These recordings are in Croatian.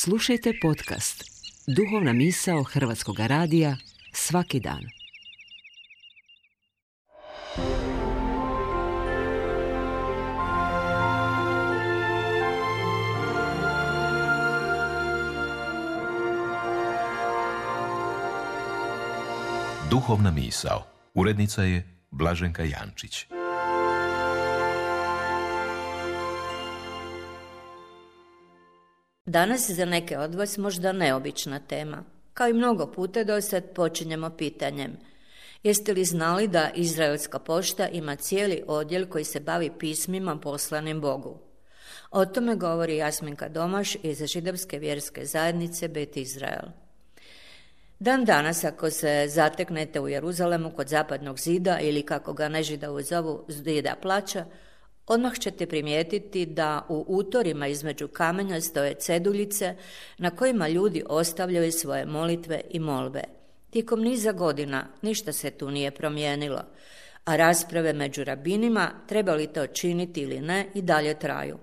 Slušajte podcast Duhovna misao Hrvatskog radija svaki dan. Duhovna misao. Urednica je Blaženka Jančić. Danas za neke od vas možda neobična tema. Kao i mnogo puta do sad počinjemo pitanjem. Jeste li znali da Izraelska pošta ima cijeli odjel koji se bavi pismima poslanim Bogu? O tome govori Jasminka Domaš iz židovske vjerske zajednice Bet Izrael. Dan danas, ako se zateknete u Jeruzalemu kod zapadnog zida ili kako ga Nežidovi zovu zida plaća, odmah ćete primijetiti da u utorima između kamenja stoje ceduljice na kojima ljudi ostavljaju svoje molitve i molbe. Tijekom niza godina ništa se tu nije promijenilo, a rasprave među rabinima treba li to činiti ili ne i dalje traju.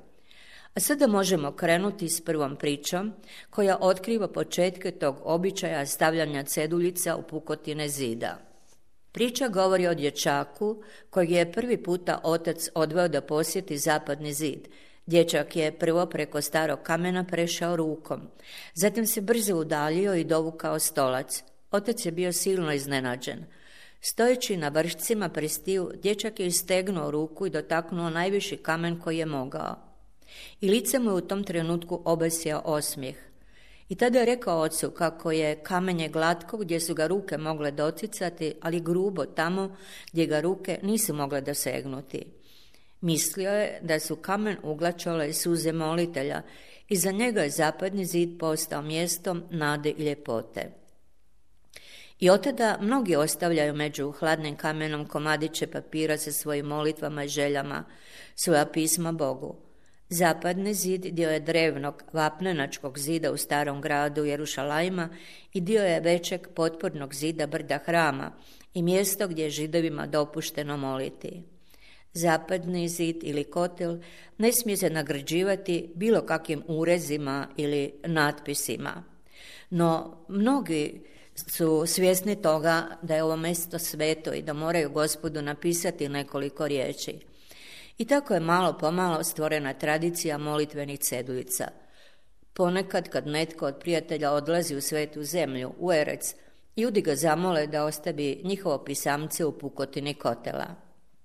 A sada možemo krenuti s prvom pričom koja otkriva početke tog običaja stavljanja ceduljica u pukotine zida. Priča govori o dječaku kojeg je prvi puta otac odveo da posjeti zapadni zid. Dječak je prvo preko starog kamena prešao rukom, zatim se brzo udaljio i dovukao stolac. Otac je bio silno iznenađen. Stojeći na vršcima prstiju, dječak je istegnuo ruku i dotaknuo najviši kamen koji je mogao. I lice mu je u tom trenutku obesio osmijeh. I tada je rekao ocu kako je kamenje glatko gdje su ga ruke mogle doticati, ali grubo tamo gdje ga ruke nisu mogle dosegnuti. Mislio je da su kamen uglačale suze molitelja i za njega je zapadni zid postao mjestom nade i ljepote. I od tada mnogi ostavljaju među hladnim kamenom komadiće papira sa svojim molitvama i željama, svoja pisma Bogu. Zapadni zid dio je drevnog vapnenačkog zida u starom gradu Jerušalajma i dio je većeg potpornog zida brda Hrama i mjesto gdje je Židovima dopušteno moliti. Zapadni zid ili kotel ne smije se nagrađivati bilo kakvim urezima ili natpisima. No, mnogi su svjesni toga da je ovo mjesto sveto i da moraju Gospodu napisati nekoliko riječi. I tako je malo pomalo stvorena tradicija molitvenih ceduljica. Ponekad kad netko od prijatelja odlazi u svetu zemlju, u Erec, ljudi ga zamole da ostavi njihovo pisamce u pukotini kotela.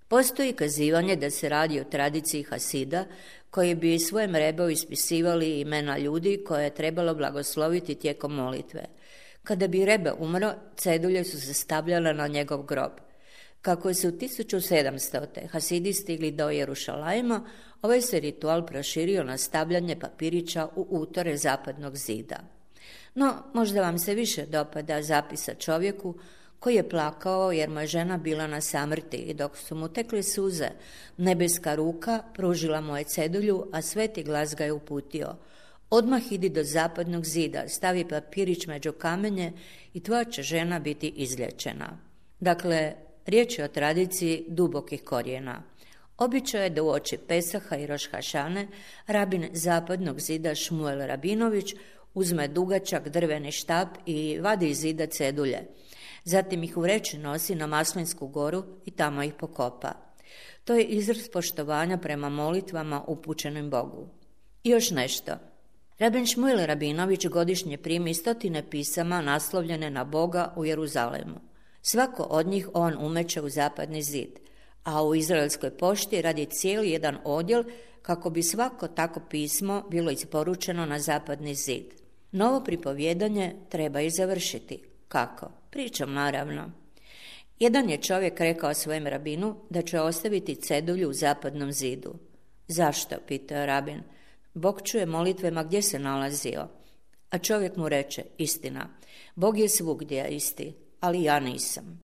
Postoji kazivanje da se radi o tradiciji Hasida, koji bi svojem rebu ispisivali imena ljudi koje je trebalo blagosloviti tijekom molitve. Kada bi rebe umro, cedulje su se stavljale na njegov grob. Kako su 1700. Hasidi stigli do Jerušalajma, ovaj se ritual proširio na stavljanje papirića u utore zapadnog zida. No, možda vam se više dopada zapisa čovjeku koji je plakao jer mu je žena bila na samrti i dok su mu tekle suze, nebeska ruka pružila mu je cedulju, a sveti glas ga je uputio. Odmah idi do zapadnog zida, stavi papirić među kamenje i tvoja će žena biti izlječena. Dakle, riječ je o tradiciji dubokih korijena. Običaj je da uoči Pesaha i Roš Hašane rabin zapadnog zida Šmuel Rabinović uzme dugačak drveni štap i vadi iz zida cedulje. Zatim ih u vreći nosi na Maslinsku goru i tamo ih pokopa. To je izraz poštovanja prema molitvama upućenim Bogu. I još nešto. Rabin Šmuel Rabinović godišnje primi 100 pisama naslovljene na Boga u Jeruzalemu. Svako od njih on umeće u zapadni zid, a u Izraelskoj pošti radi cijeli jedan odjel kako bi svako tako pismo bilo isporučeno na zapadni zid. Novo pripovjedanje treba i završiti. Kako? Pričam naravno. Jedan je čovjek rekao svojem rabinu da će ostaviti cedulju u zapadnom zidu. Zašto? Pitao rabin. Bog čuje molitve ma gdje se nalazio. A čovjek mu reče, istina, Bog je svugdje isti, ali ja nisam.